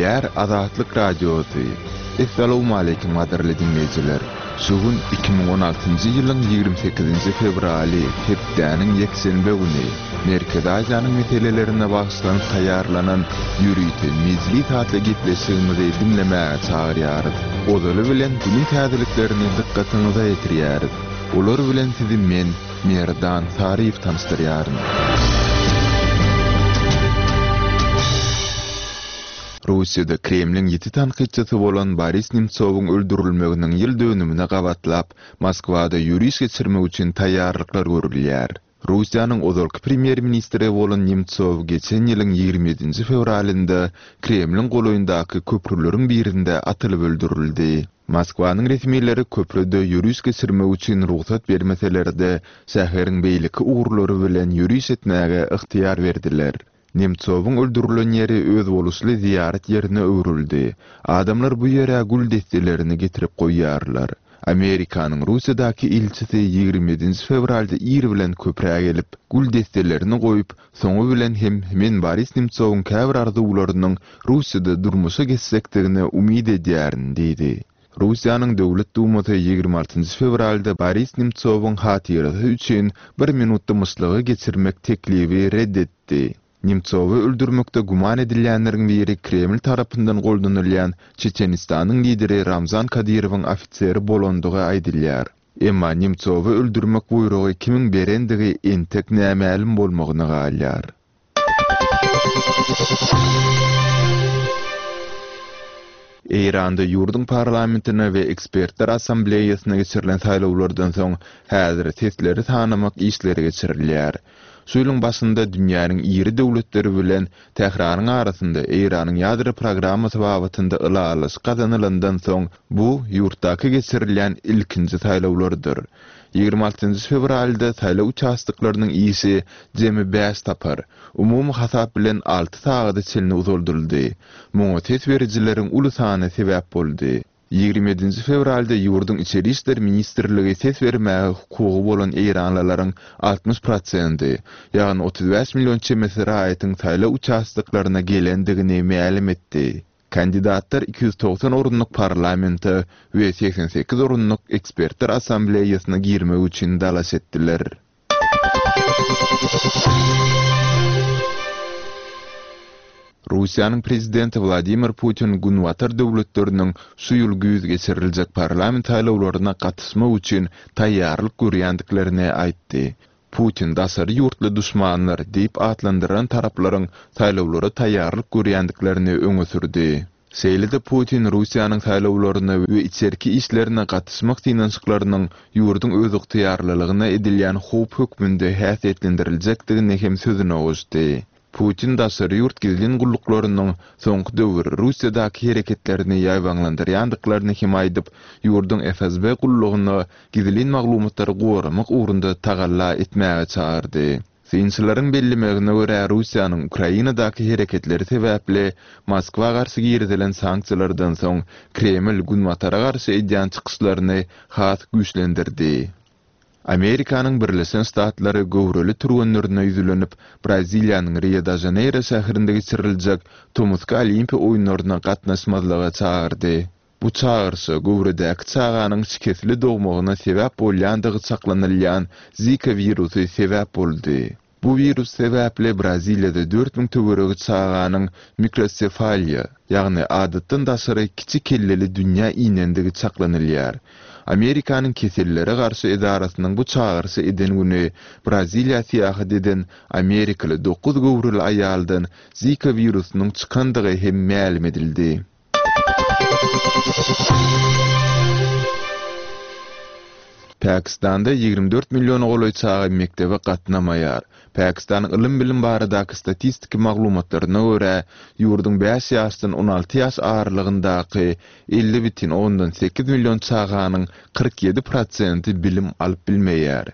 Gepleýär Azatlyk Radiosy. Essalawmaleýkim gadyrly diňleýjiler! Şu gün 2016-njy ýylyň 28-nji fewraly, hepdäniň ýekşenbe güni. Merkezi Aziýanyň meselelerine bagyşlanyp taýýarlanan ýörite Mejlis atly gepleşigimizi diňlemäge çagyrýarys. Ozaly bilen günüň täzeliklerini dykgatyňyza ýetirýäris. Olar bilen sizi men, Merdan Saryýew tanyşdyrýaryn. Russiýada Kremliň ýiti tankytçysy bolan Boris Nemtsowyň öldürilmeginiň ýyl dönümine gabatlap, Moskwada ýöriş geçirmek üçin taýýarlyklar görülýär. Russiýanyň ozalky premýer-ministri bolan Nemtsow geçen ýylyň 27-nji fewralynda Kremliň golaýyndaky köprüleriň birinde atylyp öldürildi. Moskwanyň resmileri köprüde ýöriş geçirmek üçin rugsat bermeseler-de, şäheriň beýleki ugurlary bilen ýöriş etmäge ygtyýar berdiler. Nemtsowyň öldürilen ýeri özboluşly zyýarat ýerine öwrüldi. Adamlar bu ýere gül desselerini getirip goýýarlar. Amerikanyň Russiýadaky ilçisi 27-nji fewralda ir bilen köprä gelip, gül desselerini goýup, soňy bilen hem men Boris Nemtsowyň käbir arzuwlarynyň Russiýada durmuşa geçjekdigine umyt edýärin diýdi. Russiýanyň Döwlet Dumasy 26-njy fewralda Boris Nemtsowyň hatyrasy üçin bir minut dymyşlygy geçirmek teklibi ret etdi. Nemtsowy öldürmekde güman edilýänleriň biri Kreml tarapyndan goldanylýan Çeçenistanyň lideri Ramzan Kadyrowyň ofiseri bolandygy aýdylýar. Emma Nemtsowy öldürmek buýrugy kimiň berendigi entek nämälim bolmagyna galýar. Eýranda ýurduň parlamentine we ekspertler assambleýasyna geçirilen saýlawlardan soň häzir sesleri sanamak işleri geçirilýär. Şu ýylyň başynda dünýäniň iri döwletleri bilen Tähranyň arasynda Eýranyň ýadro programmasy babatynda ylalaşyk gazanylandan soň bu ýurtdaky geçirilýän ilkinji saýlawlardyr. 26-njy fewralda saýlaw uçastoklarynyň işi jemi bäş sapar, umumy hasap bilen alty sagada çenli uzaldyldy. Muňa ses berijileriň uly sany sebäp boldy. 27-nji fewralda ýurduň Içeri işler ministrligi ses bermäge hukugy bolan eýranlylaryň 60 prosenti, ýagny 35 million çemesi raýatyň saýlaw uçastoklaryna gelendigini mälim etdi. Kandidatlar 290 orunlyk parlamente we 88 orunlyk ekspertler assambleýasyna girmek üçin dalaş etdiler. Russiýanyň Prezidenti Wladimir Putin Günbatar döwletleriniň şu ýyl güýz geçiriljek parlament saýlawlaryna gatyşmak üçin taýýarlyk görýändiklerini aýtdy. Putin daşary ýurtly duşmanlar diýip atlandyran taraplaryň saýlawlara taýýarlyk görýändiklerini öňe sürdi. Şeýle-de Putin Russiýanyň saýlawlaryna we içerki işlerine gatyşmak synanyşyklarynyň ýurduň özygtyýarlylygyna edilýän howp hökmünde häsiýetlendiriljekdigini hem sözüne goşdy. Putin daşary ýurt gizlin gulluklarynyň soňky döwür Russiýadaky hereketlerini ýaýbaňlandyrýandyklaryny hem aýdyp, ýurduň FSB gullugyna gizlin maglumatlary goramak ugrunda tagalla etmäge çagyrdy. Synçylaryň bellemegine görä, Russiýanyň Ukrainadaky hereketleri sebäpli Moskwa garşy girizilen sanksiýalardan soň Kreml Günbatara garşy edýän çykyşlaryny has güýçlendirdi. Amerikanyň Birleşen Ştatlary göwreli türgenlerine ýüzlenip, Braziliýanyň Rio-de-Žaneýro şäherinde geçiriljek tomusky Olimpiýa oýunlaryna gatnaşmazlyga çagyrdy. Bu çagyryşa göwredäki çaganyň şikesli dogmagyna sebäp bolýandygy çaklanylýan Zika wirusy sebäp boldy. Bu wirus sebäpli Braziliýada 4000 töweregi çaganyň mikrosefaliýa, ýagny adatdan daşary kiçi kelleli dünýä inendigi çaklanylýar. Amerikanyň kesellere garşy edarasynyň bu çagyryşy eden güni Braziliýa syýahat eden amerikaly dokuz göwreli aýaldan Zika wirusynyň çykandygy hem mälim edildi. Pakistanda 24 milliona golaý çaga mekdebe gatnamaýar. Pakistanyň ylym-bilim baradaky statistiki maglumatlaryna görä, ýurduň bäş ýaşdan 16 ýaş aralygyndaky 50,8 million çaganyň 47 prosenti bilim alyp bilmeýär.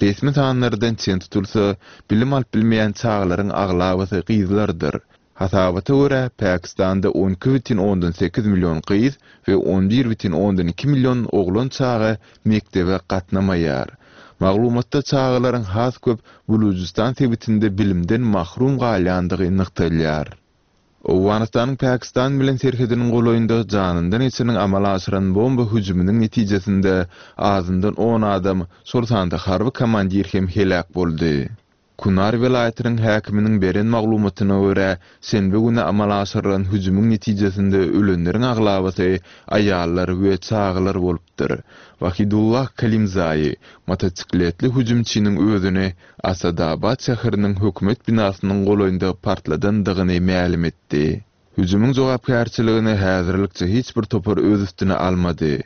Resmi sanlardan çen tutulsa, bilim alyp bilmeýän çagalaryň aglabasy gyzlardyr. Hasabata görä, Pakistanda 12,8 million gyz we 11,2 million oglan çaga mekdebe gatnamaýar. Maglumatda çagalaryň has köp Bulujystan sebitinde bilimden mahrum galýandygy nygtalýar. Owganystanyň Pakistan bilen serhediniň golaýynda janyndan geçeniň amala aşyran bomba hüjüminiň netijesinde azyndan on adam, şol sanda harby komandir hem heläk boldy. Kunar welaýatynyň häkiminiň beren maglumatyna görä, şenbe güni amala aşyrylan hüjümiň netijesinde ölenleriň aglabasy aýallar we çagalar bolupdyr. Wahidullah Kalimzaýi, motosikletli hüjümçiniň özüni Asadabad şäheriniň hökümet binasynyň golaýynda partladandygyny mälim etdi. Hüjümiň jogapkärçiligini häzirlikçe hiç bir topar öz üstüne almady.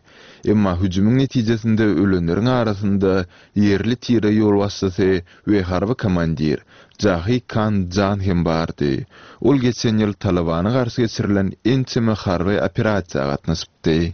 Emma hüjümiň netijesinde ölenleriň arasynda ýerli tire ýolbaşçysy we harby komandir Jahi Kan Jan hem bardy. Ol geçen ýyl Talybana garşy geçirilen ençeme harby operasiýa gatnaşypdy.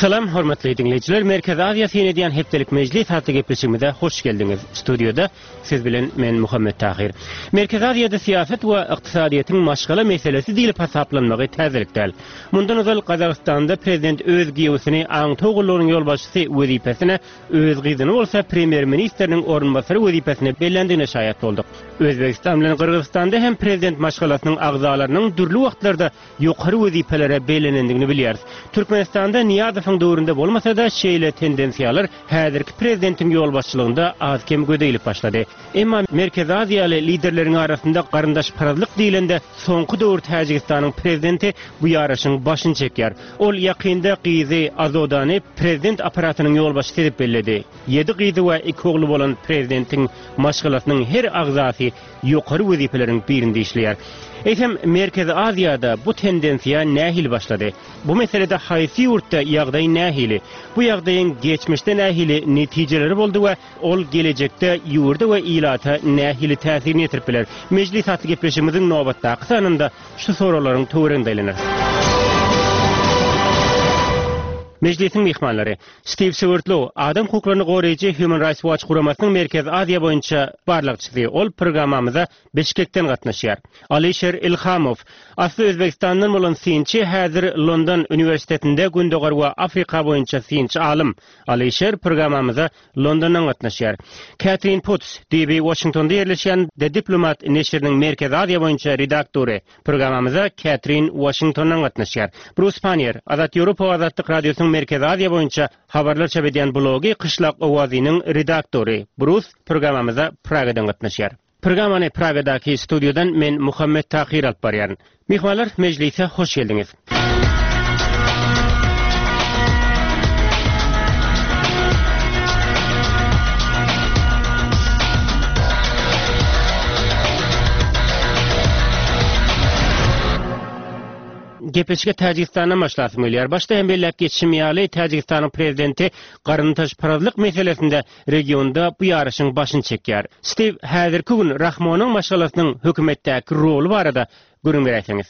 Salam hormatly diňleýjiler, Merkezi Aziýa syn edýän hepdelik mejlis atly gepleşigimize hoş geldiňiz. Studiýada siz bilen men Muhammet Tahyr. Merkezi Aziýada syýasat we ykdysadyýetiň maşgala meselesi diýlip hasaplanmagy täzelik däl. Mundan ozal Gazagystanda prezident öz giýewsini aňtaw gullugynyň ýolbaşçysy wezipesine Öz gyzyny bolsa premýer-ministriniň orunbasary wezipesine belländigine şaýat bolduk. Özbegistan bilen Gyrgyzystanda hem prezident maşgalasynyň agzalarynyň dürli wagtlarda ýokary wezipelere bellenendigini bilýäris. Türkmenistanda Nyýazowyň döwründe bolmasa-da, şeýle tendensiýalar häzirki prezidentiň ýolbaşçylygynda az-kem göze ilip başlady. Emma Merkezi Aziýaly liderleriň arasynda garyndaşparazlyk diýlende, soňky döwür Täjigistanyň prezidenti bu ýaryşyň başyny çekýär. Ol ýakynda gyzy Azodany prezident apparatynyň ýolbaşçysy edip belledi. Ýedi gyzy we iki ogly bolan prezidentiň maşgalasynyň her agzasy ýokary wezipeleriň birinde işleýär. Eýsem, Merkezi Aziýada bu tendensiýa nähili başlady? Bu meselede haýsy ýurtda ýagdaý nähili? Bu ýagdaýyň geçmişde nähili netijeleri boldy we Ol gelejekde ýurda we ilata nähili täsirini ýetirip biler? Mejlis atly gepleşigimiziň nobatdaky sanynda şu soraglaryň töwereginde aýlanarys. Mejlisiň myhmanlary, Stiw Swerdlow, adam hukuklaryny goraýjy Human Rights Watch guramasynyň Merkezi Aziýa boýunça barlagçysy. Ol programmamyza Bişkekden gatnaşýar. Alyşir Ilhamow, asly Özbegistandan bolan synçy, häzir London uniwersitetinde Gündogar we Afrika boýunça synçy alym. Alyşir programmamyza Londondan gatnaşýar. Kätrin Puts, düýbi Waşingtonda ýerleşýän The Diplomat neşiriniň Merkezi Aziýa boýunça redaktory. Programmamyza Kätrin Waşingtondan gatnaşýar. Brus Pannier, Azat Ýewropa we Azatlyk Radiosynyň Merkezi Aziýa boýunça habarlar çap edýän blogy Kyşlak owazynyň redaktory. Brus programmamyza Pragadan gatnaşýar. Programmany Pragadaky studiýadan men Muhammet Tahyr alyp barýaryn. Myhmanlar, mejlise hoş geldiňiz. Gepleşige Täjigistandan başlasym gelýär. Başda hem belläp geçişim ýaly, Täjigistanyň prezidenti garyndaşparazlyk meselesinde regionda bu ýaryşyň başyny çekýär. Stiw, häzirki gün Rahmonyň maşgalasynyň hökümetdäki roly barada gürrüň beräýseňiz.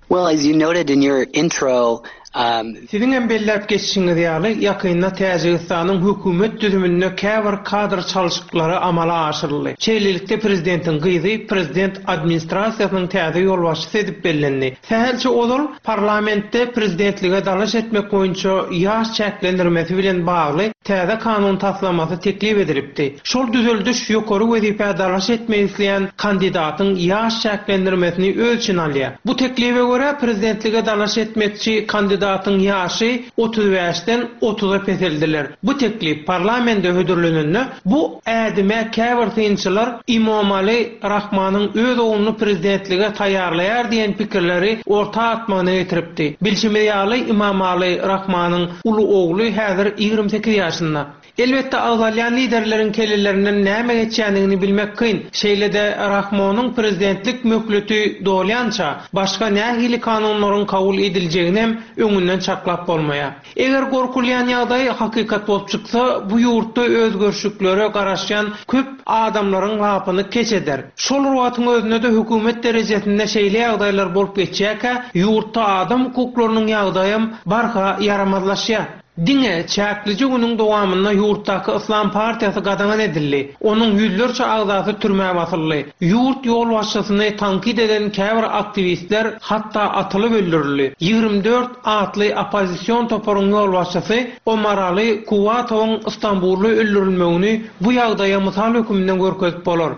Well, as you noted in your intro, um. Siziň hem belläp geçişiňiz ýaly, ýakynda Täjigistanyň hökümet düzüminde käbir kadr çalşyklary amala aşyryldy. Şeýlelikde, prezidentiň gyzy prezident administrasiýasynyň täze ýolbaşçysy edip bellendi. Sähelçe ozal parlamentde prezidentlige dalaş etmek boýunça ýaş çäklendirmesi bilen bagly täze kanun taslamasy teklip edilipdi. Şol düzeldiş ýokary wezipä dalaş etmek isleýän kandidatyň ýaş çäklendirmesini öz içine alýar. Bu teklibe görä, prezidentlige dalaş etmekçi kandidatyň ýaşy 35-den otuza peseldiler. Bu teklip parlamende hödürlenende, bu ädime käbir synçylar Imomali Rahmanyň öz ogluny prezidentlige taýýarlaýar diýen pikirleri orta atmagyna getiripdi. Bilşimiz ýaly, Imamali Rahmanyň uly ogly häzir 28 ýaşynda. Elbetde, agzalýan liderleriň kellelerinden näme geçýändigini bilmek kyn. Şeýle-de Rahmonyň prezidentlik möhleti dolýança, başga nähili kanunlaryň kabul ediljeginem öňünden çaklap bolmaýar. Eger gorkulýan ýagdaý hakykat bolup çyksa, bu ýurtda özgerişliklere garaşýan köp adamlaryň lapyny keç eder. Şol bir wagtyň özünde-de hökümet derejesinde şeýle ýagdaýlar bolup geçýärkä, ýurtda adam hukuklarynyň ýagdaýam barha ýaramazlaşýar. Diňe çäklije günüň dowamynda ýurtdaky Yslam partiýasy gadagan edildi, onuň ýüzlerçe agzasy türmä basyldy. Ýurt ýolbaşçysyny tankyt eden käbir aktiwistler hatda atylyp öldürildi. 24 atly oppozision toparyň ýolbaşçysy Omaraly Kuwatowyň Stambulda öldürilmegini bu ýagdaýa mysal höküminde görkezip bolar.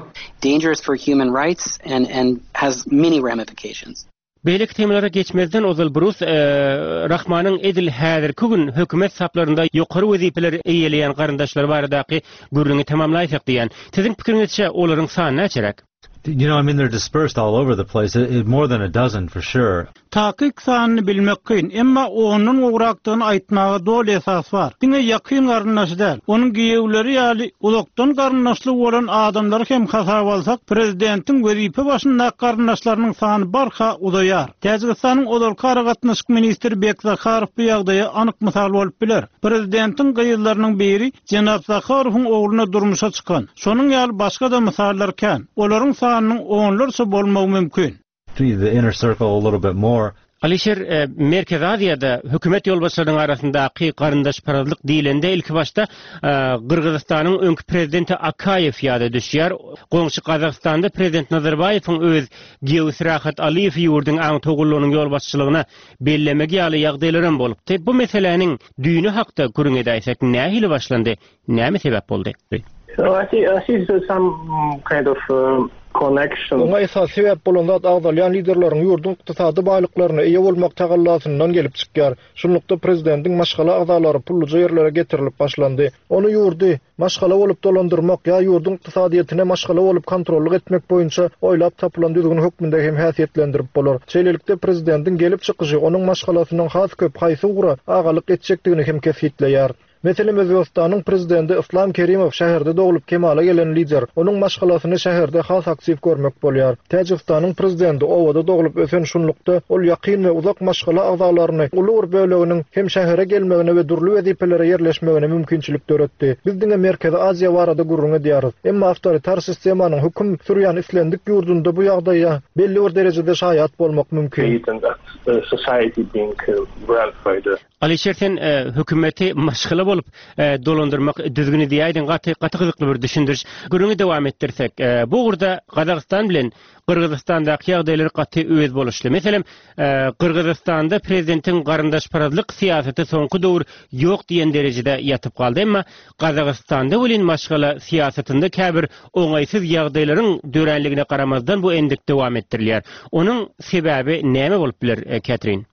Dangerous for human rights and and has many ramifications. Beýleki temalara geçmezden ozal Brus Rahmanyň edil häzirki gün hökümet saplarynda ýokary wezipeleri eýeleýän garyndaşlary baradaky gürrüňi tamamlaýsak diýýän. Siziň pikiriňizçe olaryň sany näçeräk? You know, I mean, they're dispersed all over the place, more than a dozen for sure. Takyk sanyny bilmek kyn, emma ondan gowrakdygyny aýtmaga doly esas bar. Diňe ýakyn garyndaşy däl, onuň giýewleri ýaly uzakdan garyndaşlygy bolan adamlary hem hasaba alsak, prezidentiň wezipe başyndaky garyndaşlarynyň sany barha uzaýar. Täjigistanyň ozalky aragatnaşyk ministri Bek Zaharow bu ýagdaýa anyk mysal bolup biler. Prezidentiň gyzlarynyň biri Jenap Zaharowyň ogluna durmuşa çykan. Şonuň ýaly başga-da mysallar kän. Olaryň sanynyň onlarça bolmagy mümkin. The inner circle a little bit more. Alyşir, Merkezi Aziýada hökümet ýolbaşçylarynyň arasyndaky garyndaşparazlyk diýlende ilkibaşda Gyrgyzystanyň öňki prezidenti Akaýew ýada düşýär. Goňşy Gazagystanda prezident Nazarbaýewiň öz giýewisi Rahat Alyýewi ýurduň aňtaw gullugynyň ýolbaşçylygyna bellemegi ýaly ýagdaýlaram bolupdy. Bu meseläniň düýni hakda gürrüň edäýsek nähili başlandy, näme sebäp boldy? Oňa esasy sebäp bolan zat agzalýan liderleriň ýurduň ykdysady baýlyklaryna eýe bolmak tagallasyndan gelip çykýar. Şunlukda prezidentiň maşgala agzalary pulluja ýerlere getirilip başlandy. Ony ýurdy maşgala bolup dolandyrmak ýa ýurduň ykdysadyýetine maşgala bolup kontrollyk etmek boýunça oýlap tapylan düzgün hökmünde hem häsiýetlendirip bolar. Şeýlelikde prezidentiň gelip çykyşy onuň maşgalasynyň has köp haýsy ugra agalyk etjekdigini hem kesgitleýär. Meselem, Özbegistanyň prezidenti Yslam Kerimow şäherde doglup kemala gelen lider. Onuň maşgalasyny şäherde has aktiw görmek bolýar. Täjigistanyň prezidenti obada doglup ösen şunlukda ol ýakyn we uzak maşgala agzalaryny uly bir böleginiň hem şähere gelmegine we dürli wezipelere ýerleşmegine mümkinçilik döretdi. Biz diňe Merkezi Aziýa barada gürrüň edýäris. Emma awtoritar sistemanyň höküm sürýän islendik ýurdunda bu ýagdaýa belli bir derejede şaýat bolmak mümkin. Alyşir sen hökümeti maşgala bolup dolandyrmak düzgüni diýäýdiň gaty gaty gyzykly bir düşündiriş. Gürrüňi dowam etdirsek, bu ugurda Gazagystan bilen Gyrgyzystandaky ýagdaýlar gaty özboluşly. Meselem, Gyrgyzystanda prezidentiň garyndaşparazlyk syýasaty soňky döwür ýok diýen derejede ýatyp galdy. Emma Gazagystanda welin maşgala syýasatynda käbir oňaýsyz ýagdaýlaryň döränligine garamazdan bu endik dowam etdirilýär. Onuň sebäbi näme bolup biler, Ketrin?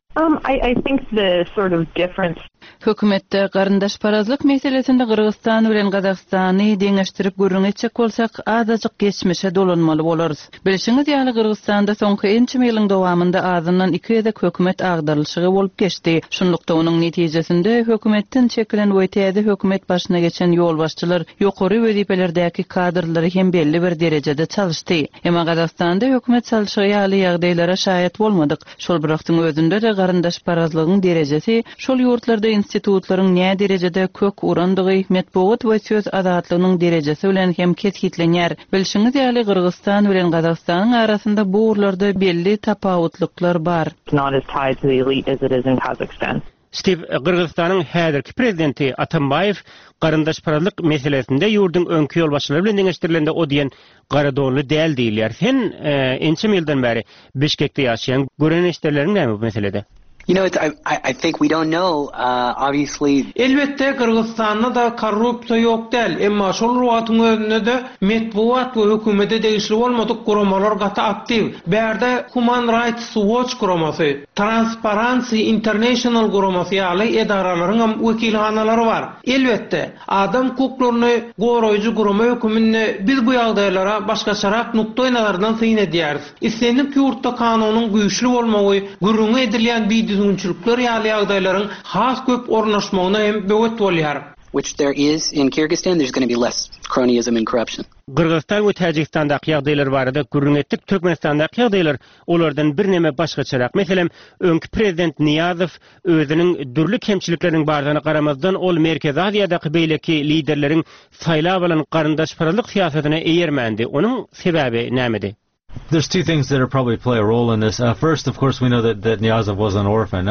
Hökümetde garyndaşparazlyk meselesinde Gyrgyzystan bilen Gazagystany deňeşdirip gürrüň etjek bolsak, azajyk geçmişe dolanmaly bolarys. Bilşiňiz ýaly, Gyrgyzystanda soňky ençeme ýylyň dowamynda azyndan iki gezek hökümet agdarylyşygy bolup geçdi. Şunlukda, onuň netijesinde hökümetden çekilen we täze hökümet başyna geçen ýolbaşçylar ýokary wezipelerdäki kadrlary hem belli bir derejede çalyşdy. Emma Gazagystanda hökümet çalşygy ýaly ýagdaýlara şaýat bolmadyk. Şol bir wagtyň özünde-de garyndaşparazlygyň derejesi, şol ýurtlarda institutlaryň näderejede kök urandygy, metbugat we söz azatlygynyň derejesi bilen hem kesgitlenýär. Bilşiňiz ýaly, Gyrgyzystan bilen Gazagystanyň arasynda bu ugurlarda belli tapawutlyklar bar. Stiw, Gyrgyzystanyň häzirki prezidenti Atambaýew garyndaşparazlyk meselesinde ýurduň öňki ýolbaşçylary bilen deňeşdirilende o diýen garadonly däl diýilýär. Sen ençeme ýyldan bäri Bişkekde ýaşaýaň. Gören-eşidenleriň näme bu meselede? You know, I, I think we don't know, obviously. Elbetde, Gyrgyzystanda-da korrupsiýa ýok däl, emma şol bir wagtyň özünde-de metbugat we hökümete degişli bolmadyk guramalar gaty aktiw. Bärde Human Rights Watch guramasy, Transparency International guramasy ýaly edaralaryňam wekilhanalary bar. Elbetde, adam hukuklaryny goraýjy gurama höküminde biz bu ýagdaýlara başgaçarak nukdaýnazardan syn edýäris. Islendik ýurtda kanunyň güýçli bolmagy gürrüňi edilýän bidüzgünçilikler ýaly ýagdaýlaryň has köp ornaşmagyna hem böwet bolýar. Which there is in Kyrgyzstan, there's gonna be less cronyism and corruption. Gyrgyzystan we Täjigistandaky ýagdaýlar barada gürrüň etdik. Türkmenistandaky ýagdaýlar olardan birneme başgaçarak. Meselem, öňki prezident Nyýazow özüniň dürli kemçilikleriniň bardygyna garamazdan, ol Merkezi Aziýadaky beýleki liderleriň saýlap alan garyndaşparazlyk syýasatyna eýermändi. Onuň sebäbi nämedi? There's two things that are probably play a role in this. First, of course, we know that that Niyazov was an orphan.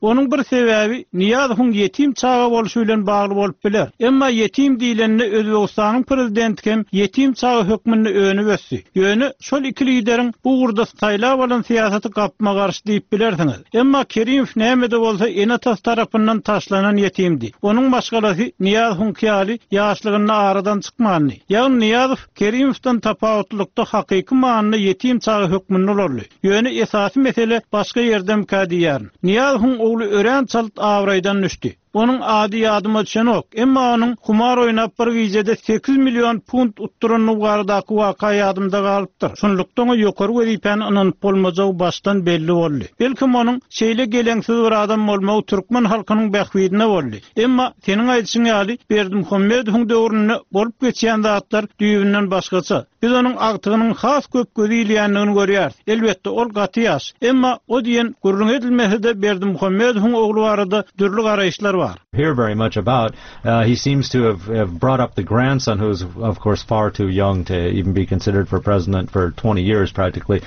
Onuň bir sebäbi Nyýazowyň ýetim çaga bolşy bilen bagly bolup biler. Emma ýetim diýlende Özbegistanyň prezidenti hem ýetim çaga hökmünde önüp ösdi. Ýöne şol iki lideriň bu ugurda saýlap alan syýasaty gapma-garşy diýip bilersiňiz. Emma Kerimow näme-de bolsa ene-atasy tarapyndan taşlanan ýetimdi. Onuň maşgalasy Nyýazowyňky ýaly ýaşlygynda aradan çykmandy. Ýagny Nyýazow Kerimowdan tapawutlylykda hakyky manyda ýetim çaga hökmünde ulaldy. Ýöne esasy mesele başga ýerdemikä diýýärin. Nyýazowyň ogly örän çalt abraýdan düşdi. Onuň ady ýadyma düşenok, emma onuň humar oýnap bir gijede 8 million funt utdurandygy baradaky waka ýadymda galypdyr. Şunlukda oňa ýokary wezipäni ynanyp bolmajagy başdan belli boldy. Belkem onuň şeýle geleňsiz bir adam bolmagy türkmen halkynyň bähbidine boldy. Emma seniň aýdyşyň ýaly Berdimuhamedowyň döwründe bolup geçýän zatlar düýbünden başgaça. Biz onuň agtygynyň has köp gözi ilýändigini görýäris. Elbetde, ol gaty ýaş. Emma o diýen gürrüň edilmese-de Berdimuhamedowyň ogly barada dürli garaýyşlar bar. Hear very much about. He seems to have have brought up the grandson who is of course far too young to even be considered for president for 20 years practically.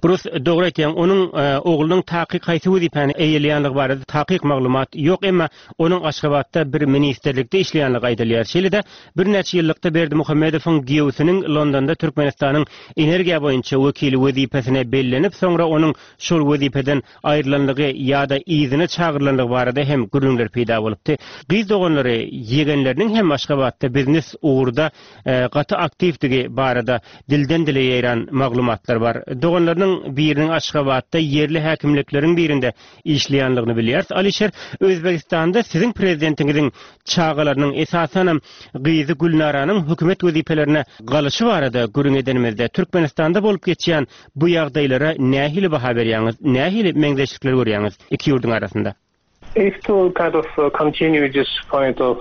Brus, dogry aýtýaň, onuň oglunyň takyk haýsy wezipäni eýeleýänligi barada takyk maglumat ýok, emma onuň Aşgabatda bir ministrlikde işleýänligi aýdylýar. Şeýle-de, birnäçe ýyllykda Berdimuhamedowyň giýewsiniň Londonda Türkmenistanyň energiýa boýunça wekili wezipesine bellenip, soňra onuň şol wezipeden aýrylanlygy ýa-da yzyna çagyrylanlygy barada hem gürrüňler peýda bolupdy. Gyz doganlary ýegenleriniň hem Aşgabatda biznes ugurda gaty aktiwdigi barada dilden-dile ýaýran maglumatlar bar. Doganlarynyň biriniň Aşgabatda ýerli häkimlikleriň birinde işleýänligini bilýäris. Alişer, Özbegistanda siziň prezidentiňiziň çagalarynyň, esasanam gyzy Gülnaranyň hökümet wezipelerine galyşy barada gürrüň edenimizde, Türkmenistanda bolup geçýän bu ýagdaýlara nähili baha berýäňiz, nähili meňzeşlikler görýäňiz iki ýurduň arasynda? If to kind of continue this point of.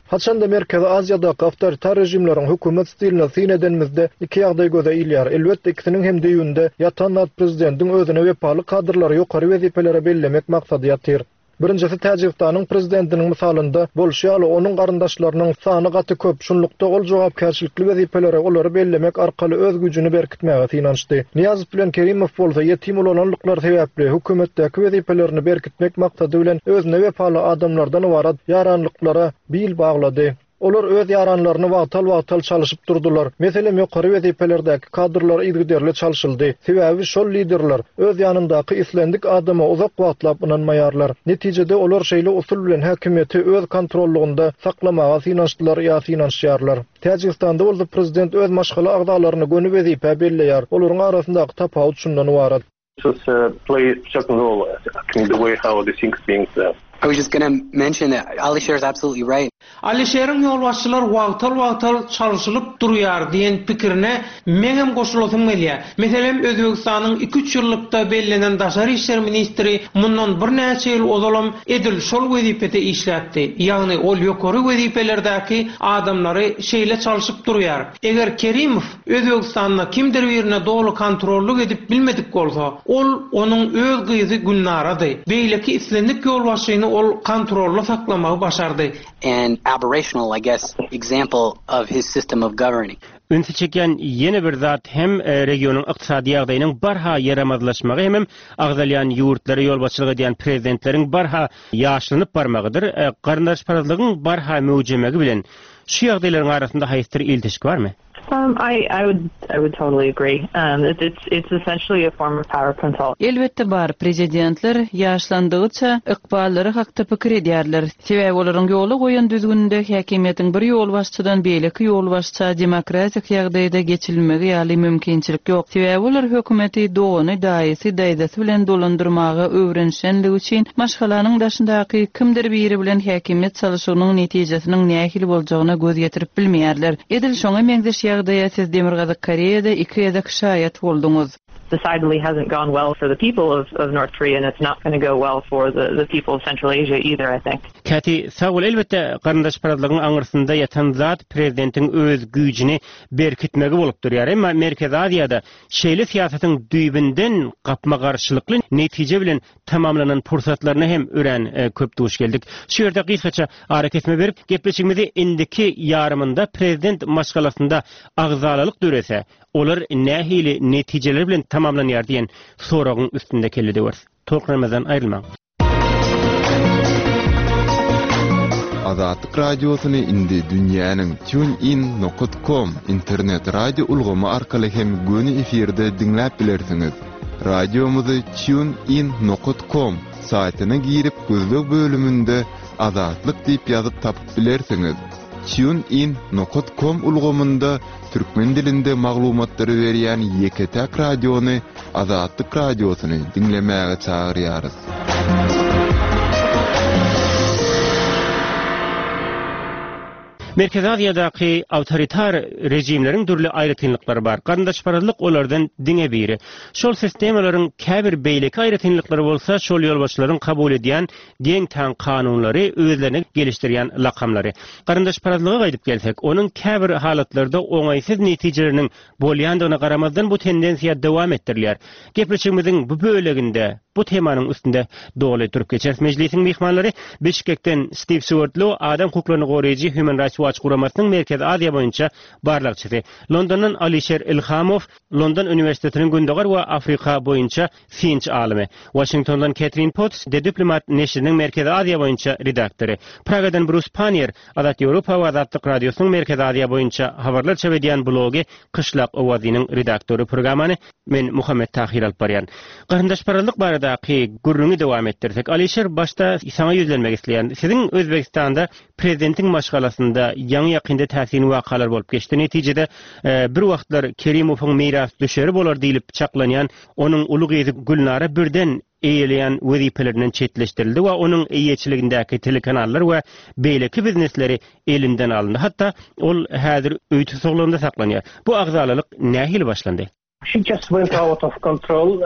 Haçanda Merkezi Aziýadaky awtoritar režimleriň hökümet stiline syn edenimizde iki ýagdaý göze ilýär. Elbetde ikisiniň hem düýbünde ýatan zat prezidentiň özüne wepaly kadrlary ýokary wezipelere bellemek maksady ýatyr. Birinjisi Täjigistanyň prezidentiniň mysalynda bolşy ýaly onuň garyndaşlarynyň sany gaty köp, şunlukda ol jogapkärçilikli wezipelere olary bellemek arkaly öz güýjüni berkitmäge synanyşdy. Nyýazow bilen Kerimow bolsa ýetim ulananlyklary sebäpli hökümetdäki wezipelerini berkitmek maksady bilen özüne wepaly adamlardan ybarat ýaranlyklara bil baglady. Olar öz ýaranlaryny wagtal-wagtal çalyşyp durdular. Meselem, ýokary wezipelerdäki kadrlar yzygiderli çalşyldy. Sebäbi şol liderler öz ýanyndaky islendik adama uzak wagtlap ynanmaýarlar. Netijede olar şeýle usul bilen häkimiýeti öz kontrollygynda saklamaga synanyşdylar ýa synanyşýarlar. Täjigistanda bolsa prezident öz maşgala agzalaryny göni wezipä belleýär. Olaryň arasyndaky tapawut şundan ybarat. Just play certain role in the way how the things being done. I was just gonna mention that Alisher is absolutely right. Alişeriň ýolbaşçylar wagtal-wagtal çalşylyp durýar diýen pikirine meňem goşulasym gelýär. Meselem, Özbegistanyň iki-üç ýyllykda bellenen daşary işler ministri mundan birnäçe ýyl ozalam edil şol wezipede işläpdi. Ýagny ol ýokary wezipelerdäki adamlary şeýle çalşyp durýar. Eger Kerimow Özbegistanda kimdir birine doly kontrollyk edip bilmedik bolsa, ol onuň öz gyzy Gülnarady. Beýleki islendik ýolbaşçyny ol kontrolda saklamagy başardy. An aberrational, I guess, example of his system of governing. Ünsi çekýän ýene bir zat hem regionyň ykdysady ýagdaýynyň barha ýaramazlaşmagy hemem agzalýan ýurtlara ýolbaşçylyk edýän prezidentleriň barha ýaşlanyp barmagydyr. Garyndaşparazlygyň barha möwjemegi bilen şu ýagdaýlaryň arasynda haýsydyr ilteşik barmy? Um, I, I would, I would totally agree. Um, it, it's, it's essentially a form of power control. Elbetde bar, prezidentler ýaşlandygyça ykballary hakda pikir edýärler. Sebäbi olaryň ýola goýan düzgüninde häkimiýetiň bir ýolbaşçydan beýleki ýolbaşça demokratik ýagdaýda geçirilmegi ýaly mümkinçilik ýok. Sebäbi olar hökümeti dogany, daýysy, daýzasy bilen dolandyrmaga öwrenişenligi üçin maşgalanyň daşyndaky kimdir biri bilen häkimiýet çalşygynyň netijesiniň nähili boljagyna göz ýetirip bilmeýärler. Edil şoňa meňzeş ýagdaýa siz Demirgazyk Koreýada iki gezek şaýat bolduňyz. decidedly hasn't gone well for the people of, of North Korea, and it's not going to go well for the, the people of Central Asia either, I think. Käti, sag bol. Elbetde, garyndaşparazlygyň aňyrsynda ýatan zat prezidentiň öz güýjüni berkitmegi bolup durýar. Emma Merkezi Aziýada şeýle syýasatyň düýbünden gapma-garşylykly netije bilen tamamlanan pursatlaryna hem örän köp duş geldik. Şu ýerde gysgaça arakesme berip, gepleşigimizi indiki ýarymynda prezident maşgalasynda agzalalyk dörese, olar nähili netijeler bilen tamamlanýar diýen soragyň üstünde kelle döweris. Tolkunlarymyzdan aýrylmaň. Azatlyk Radiosyny indi dünýäniň TuneIn nokat com internet radio ulgamy arkaly hem göni efirde diňläp bilersiňiz. Radiomyzy TuneIn nokat com saýtyna girip gözleg bölüminde Azatlyk diýip ýazyp tapyp bilersiňiz. TuneIn nokat com ulgamynda türkmen dilinde maglumatlary berýän ýeke-täk radiony Azatlyk Radiosyny diňlemäge çagyrýarys. Merkezi Aziýadaky awtoritar režimleriň dürli aýratynlyklary bar. Garyndaşparazlyk olardan diňe biri. Şol sistemalaryň käbir beýleki aýratynlyklary bolsa şol ýolbaşçylaryň kabul edýän geň-taň kanunlary, özlerine gelişdirýän lakamlary. Garyndaşparazlyga gaýdyp gelsek, onuň käbir halatlarda oňaýsyz netijeleriniň bolýandygyna garamazdan bu tendensiýa dowam etdirilýär. Gepleşigimiziň bu böleginde bu temanyň üstünde doly durup geçeris. Mejlisiň myhmanlary Bişkekden Stiw Suwardlo, adam hukuklaryny goraýjy Human Rights Watch guramasynyň Merkezi Aziýa boýunça barlagçysy, Londondan Alişer Ilhamow, London uniwersitetiniň Gündogar we Afrika boýunça synçy alymy, Waşingtondan Ketrin Potts, The Diplomat neşiriniň Merkezi Aziýa boýunça redaktory, Pragadan Brus Pannier, Azat Ýewropa we Azatlyk Radiosynyň Merkezi Aziýa boýunça habarlar çap edýän blogy Kyşlak owazynyň redaktory Programmany men Muhammet Tahyr alyp barýan. Garyndaşparazlyk baradaky gürrüňi dowam etdirsek, Alyşir başda saňa ýüzlenmek isleýän. Siziň Özbegistanda prezidentiň maşgalasynda ýaňy-ýakynda täsin wakalar bolup geçdi. Netijede bir wagtlar Kerimowyň mirasdüşeri bolar diýlip çaklanýan onuň uly gyzy Gülnara birden eýeleýän wezipelerinden çetleşdirildi we onuň eýeçiligindäki telekanallar we beýleki biznesleri elinden alyndy. Hatda ol häzir öý tussaglygynda saklanýar. Bu agzalalyk nähili başlandy? She just went out of control.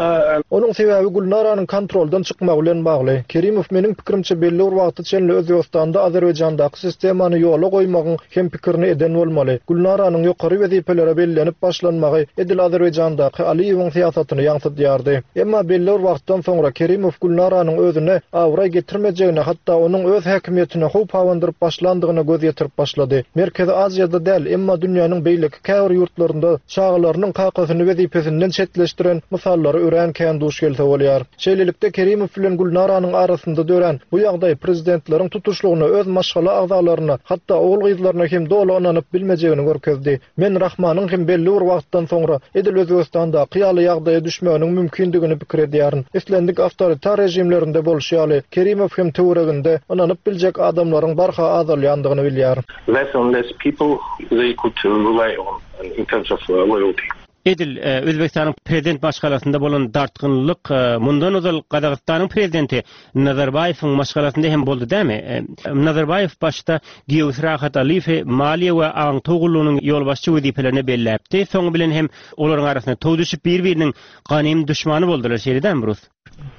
Onuň sebäbi Gülnaranyň kontroldan çykmagy bilen bagly. Kerimow meniň pikirimçe belli bir wagta çenli Özbegistanda Azerbaýjandaky sistemany ýola goýmagyň hem pikirini eden bolmaly. Gülnaranyň ýokary wezipelere bellenip başlanmagy edil Azerbaýjandaky Aliýewiň syýasatyny ýaňsydýardy. Emma belli bir wagtdan soňra Kerimow Gülnaranyň özüne abraý getirmejegine, hatda onuň öz häkimiýetine howp abandyryp başlandygyna göz ýetirip başlady. Merkezi Aziýada däl, emma dünýäniň beýleki käbir ýurtlarynda çagalarynyň kakasyny wezipesinden çetleşdiren mysallara örän kän duş gelse bolýar. Şeýlelikde, Kerimow bilen Gülnaranyň arasynda dörän bu ýagdaý prezidentleriň tutuşlygyna öz maşgala agzalaryna, hatda ogul-gyzlaryna hem doly ynanyp bilmejegini görkezdi. Men Rahmanyň hem belli bir wagtdan soňra edil Özbegistandaky ýaly ýagdaýa düşmeginiň mümkindigini pikir edýärin. Islendik awtoritar režimlerinde bolşy ýaly, Kerimow hem töwereginde ynanyp biljek adamlaryň barha azalýandygyny bilýär. Less and less people they could rely on in terms of loyalty. Edil Özbegistanyň prezident maşgalasynda bolan dartgynlylyk mundan ozal Gazagystanyň prezidenti Nazarbaýewiň maşgalasynda hem boldy dämi? Nazarbaýew başda giýewsi Rahat Aliýewi maliýe we aňtaw gullugynyň ýolbaşçy wezipelerine belläpdi, soňy bilen hem olaryň arasyna tow düşüp bir-biriniň ganym duşmany boldular, şeýle dämi Brus?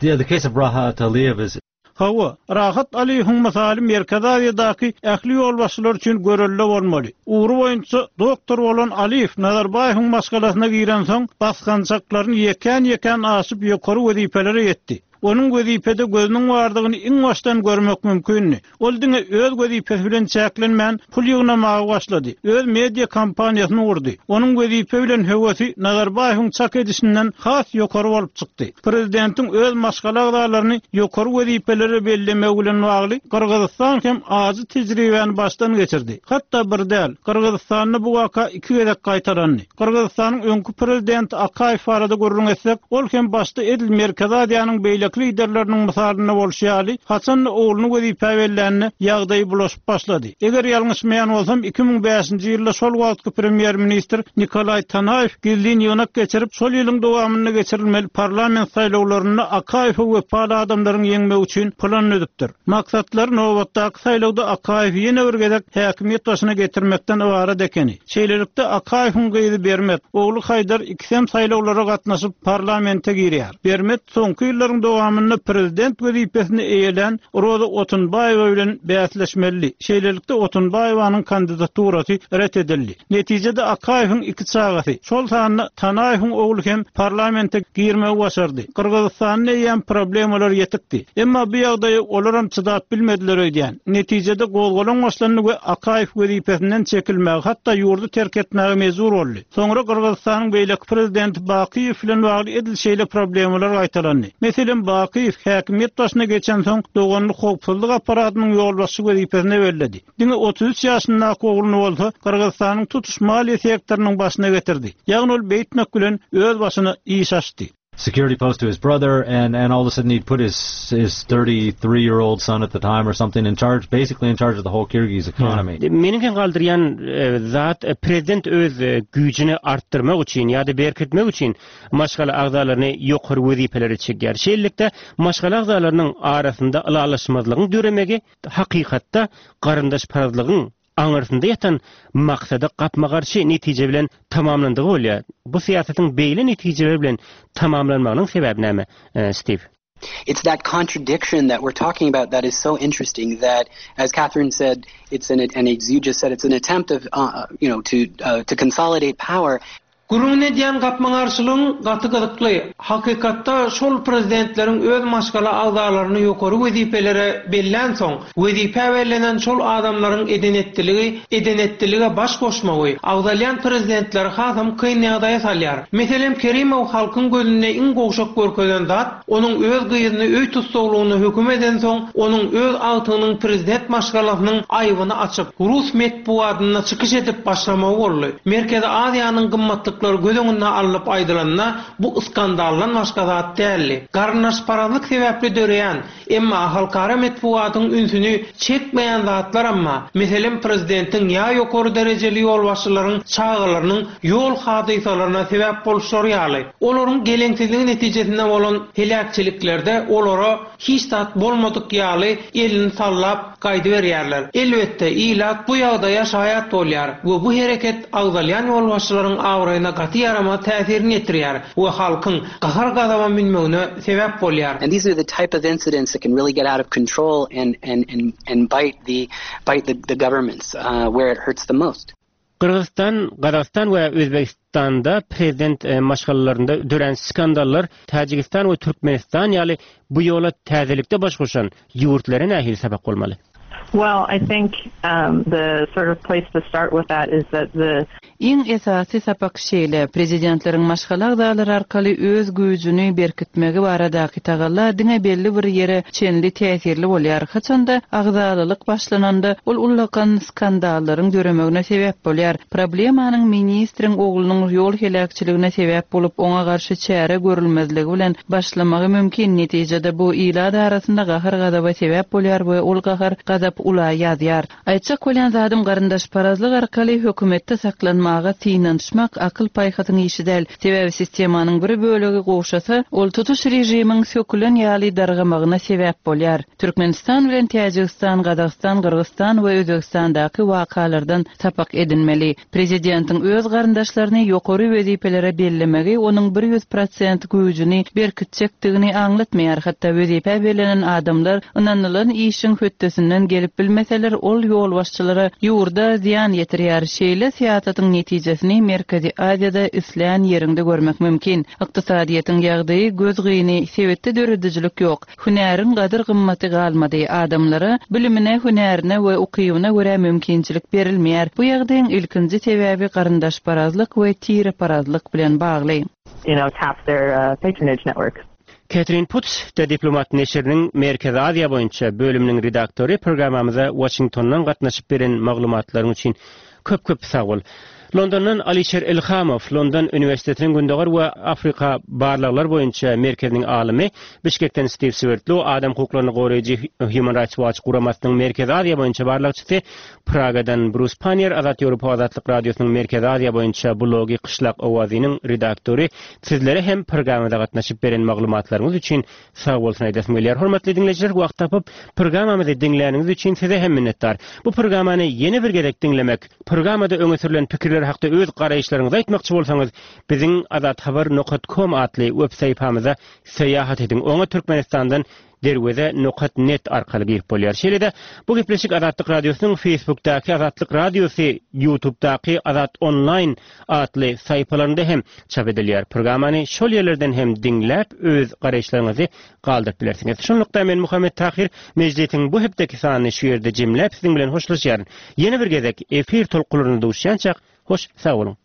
Yeah, the case of Rahat Aliyev is Hawa, Rahat Aliýewiň mysaly Merkezi Aziýadaky ähli ýolbaşçylar üçin görelde bolmaly. Ugry boýunça doktor bolan Aliýew Nazarbaýewiň maşgalasyna girensoň, basgançaklaryny ýekän-ýekän aşyp ýokary wezipelere ýetdi. Onuň wezipede gözüniň bardygyny iň başdan görmek mümkindi. Ol diňe öz wezipesi bilen çäklenmän, pul ýygnamaga başlady, öz media kompaniýasyny gurdy. Onuň wezipe bilen höwesi Nazarbaýewiň çak edişinden has ýokary bolup çykdy. Prezidentiň öz maşgala agzalaryny ýokary wezipelere bellemegi bilen bagly Gyrgyzystan hem ajy tejribäni başdan geçirdi. Hatda bir däl, Gyrgyzystanda bu waka iki gezek gaýtalandy. Gyrgyzystanyň öňki prezidenti Akaýew barada gürrüň etsek, ol hem başda edil Merkezi Aziýanyň beýleki. beýleki liderleriniň mysalynda bolşy ýaly, haçan-da ogluny wezipä bellände, ýagdaý bulaşyp başlady. Eger ýalňyşmaýan bolsam, 2005-nji ýylda şol wagtky premýer-ministr Nikolaý Tanaýew gizlin ýygnak geçirip, şol ýylyň dowamynda geçirilmeli parlament saýlawlarynda Akaýewe wepaly adamlaryň ýeňmegi üçin plan düzüpdir. Maksatlary nobatdaky saýlawda Akaýewi ýene bir gezek häkimiýet başyna getirmekden ybarat ekeni. Şeýlelikde, Akaýewiň gyzy Bermet, ogly Haýdar ikisem saýlawlara gatnaşyp, parlamente girýär. Bermet soňky ýyllaryň dowamynda prezident wezipesini eýelän Roza Otunbaýewa bilen bäsleşmelidi. Şeýlelikde, Otunbaýewanyň kandidaturasy ret edildi. Netijede, Akaýewiň iki çagasy, şol sanda Tanaýewiň ogly hem parlamente girmegi başardy. Gyrgyzystanda eýýäm problemalar ýetikdi. Emma bu ýagdaýa olaram çydap bilmediler öýdýän. Netijede gozgalaň başlandy we Akaýew wezipesinden çekilmäge, hatda ýurdy terk etmäge mejbur boldy. Soňra Gyrgyzystanyň beýleki prezidenti Bakyýew bilen bagly edil şeýle problemalar gaýtalandy. Meselem, Bakyýew häkimiýet başyna geçensoň, doganyny howpsuzlyk apparatynyň ýolbaşçy wezipesine belledi. Diňe 33 ýaşyndaky ogluny bolsa Gyrgyzystanyň tutuş maliýe sektorynyň başyna getirdi. Ýagny ol beýtmek bilen öz başyna iş açdy. Security post to his brother and and all of a sudden he'd put his his 33 year old son at the time or something in charge basically in charge of the whole Kyrgyz economy. Meniň geň galdyrýan zat prezident öz güýjüni artdyrmak üçin ýa-da berkitmek üçin maşgala agzalaryny ýokary wezipelere çekýär. Şeýlelikde maşgala agzalarynyň arasynda ylalaşmazlygyň döremegi hakykatda garyndaşparazlygyň aňyrsynda ýatan maksada gapma-garşy netije bilen tamamlandygy bolýar. Bu syýasatyň beýle netijeler bilen tamamlanmagynyň sebäbi näme, Stiw? It's that contradiction that we're talking about that is so interesting that as Catherine said it's an and as you just said it's an attempt of uh, you know to uh, to consolidate power Gürrüňini edýän gapma-garşylygyň gaty gyzykly. Hakykatda şol prezidentleriň öz maşgala agzalaryny ýokary wezipelere bellänsoň, wezipä bellenen şol adamlaryň eden-etdiligi eden-etdilige baş goşmagy, agzalýan prezidentleri hasam kyn ýagdaýa salýar. Meselem, Kerimow halkyň gözünde iň gowşak görkezen zat, Onuň öz gyzyny öý tussaglygynda höküm edensoň, onuň öz agtygynyň prezident maşgalasynyň aýbyny açyp, rus metbugatynda çykyş edip başlamagy boldy. Merkezi Aziýanyň gymmatlyklary göz öňünde alnyp aýdylanda, bu skandaldan başga zat däldi. Garyndaşparazlyk sebäpli döreýän, emma halkara metbugatyň ünsüni çekmeýän zatlaram bar. Meselem, prezidentiň ýa ýokary derejeli ýolbaşçylaryň çagalarynyň ýol hadysalaryna sebäp boluşlary ýaly. Olaryň geleňsizligi netijesinde bolan heläkçiliklerde olara hiç zat bolmadyk ýaly elini sallap gaýdyberýärler. Elbetde, ilat bu ýagdaýa şaýat bolýar we bu hereket agzalýan ýolbaşçylaryň abraýyna gaty ýaramaz täsirini ýetirýär we halkyň gahar-gazaba münmegine sebäp bolýar. And these are the type of incidents that can really get out of control and and and and bite the bite the the governments where it hurts the most. Gyrgyzystan, Gazagystan we Özbegistanda prezident maşgalalarynda dörän skandallar Täjigistan we Türkmenistan ýaly bu ýola täzelikde baş goşan ýurtlara nähili sapak bolmaly? Well, I think the sort of place to start with that is that the. Iň esasy sapak şeýle, prezidentleriň maşgala agzalary arkaly öz güýjüni berkitmegi baradaky tagalla diňe belli bir ýere çenli täsirli bolýar, haçanda agzalalyk başlananda, ol ullakan skandallaryň döremegine sebäp bolýar. Problemanyň ministriň oglunyň ýol heläkçiligine sebäp bolup, oňa garşy çäre görülmezligi bilen başlamagy mümkin. Netijede bu ilat arasynda gahar-gazaba sebäp bolýar we ol gahar-gazap ula ýazýar. Aýtjak bolýan zadym garyndaşparazlyk arkaly hökümetde saklanmaga synanyşmak akyl-paýhasyň işi däl. Sebäbi sistemanyň bir bölegi gowşasa, ol tutuş režimiň sökülen ýaly dargamagyna sebäp bolýar. Türkmenistan bilen Täjigistan, Gazagystan, Gyrgyzystan we Özbegistandaky wakalardan sapak edinmeli. Prezidentiň öz garyndaşlaryny ýokary wezipelere bellemegi onuň 100 prosent güýjüni berkitjekdigini aňlatmaýar, hatda wezipä bellenen adamlar ynanylan işiň hötdesinden gelip bilmeseler, ol ýolbaşçylara, ýurda zyýan ýetirýär. Şeýle syýasatyň netijesini Merkezi Aziýada islän ýeriňde görmek mümkin. Ykdysadyýetiň ýagdaýy gözgyny, sebitde döredijilik ýok. Hünäriň gadyr-gymmaty galmady. Adamlara bilimine, hünärine we ukybyna görä mümkinçilik berilmeýär. Bu ýagdaýyň ilkinji sebäbi garyndaşparazlyk we tireparazlyk bilen bagly. you know, tap their patronage networks. Ketrin Putz, The Diplomat neşiriniň Merkezi Aziýa boýunça bölüminiň redaktory programmamyza Waşingtondan gatnaşyp beren maglumatlaryň üçin köp-köp sag bol. Londondan Alişer Ilhamow, London uniwersitetiniň Gündogar we Afrika barlaglar boýunça merkeziniň alymy, Bişkekden Stiw Swerdlow, adam hukuklaryny goraýjy Human Rights Watch guramasynyň Merkezi Aziýa boýunça barlagçysy, Pragadan Brus Pannier, Azat Ýewropa Azatlyk Radiosynyň Merkezi Aziýa boýunça blogy Kyşlak owazynyň redaktory, sizlere hem programmada gatnaşyp beren maglumatlaryňyz üçin sag bolsun aýdasym gelýär. Hormatly diňleýjiler, wagt tapyp, programmamyzy diňläniňiz üçin size hem minnetdar. Bu programmany ýene bir gezek diňlemek, programmada öňe sürlen pikirler hakda öz garaýyşlaryňyzy aýtmakçy bolsaňyz, biziň azathabar nokat kom atly web sahypamyza syýahat ediň. Oňa Türkmenistandan Derweze nokat net arkaly girip bolýar. Şeýle-de, bu gepleşik Azatlyk Radiosynyň Facebookdaky Azatlyk Radiosy, YouTubedaky Azat Online atly sahypalarynda hem çap edilýär. Programmany şol ýerlerden hem diňläp, öz garaýyşlaryňyzy galdyryp bilersiňiz. Şunlukda men Muhammet Tahyr Mejlisiň bu hepdeki sanyny şu ýerde jemläp siziň bilen hoşlaşýaryn. Ýene bir gezek efir tolkunlarynda duşýançak, hoş sag boluň!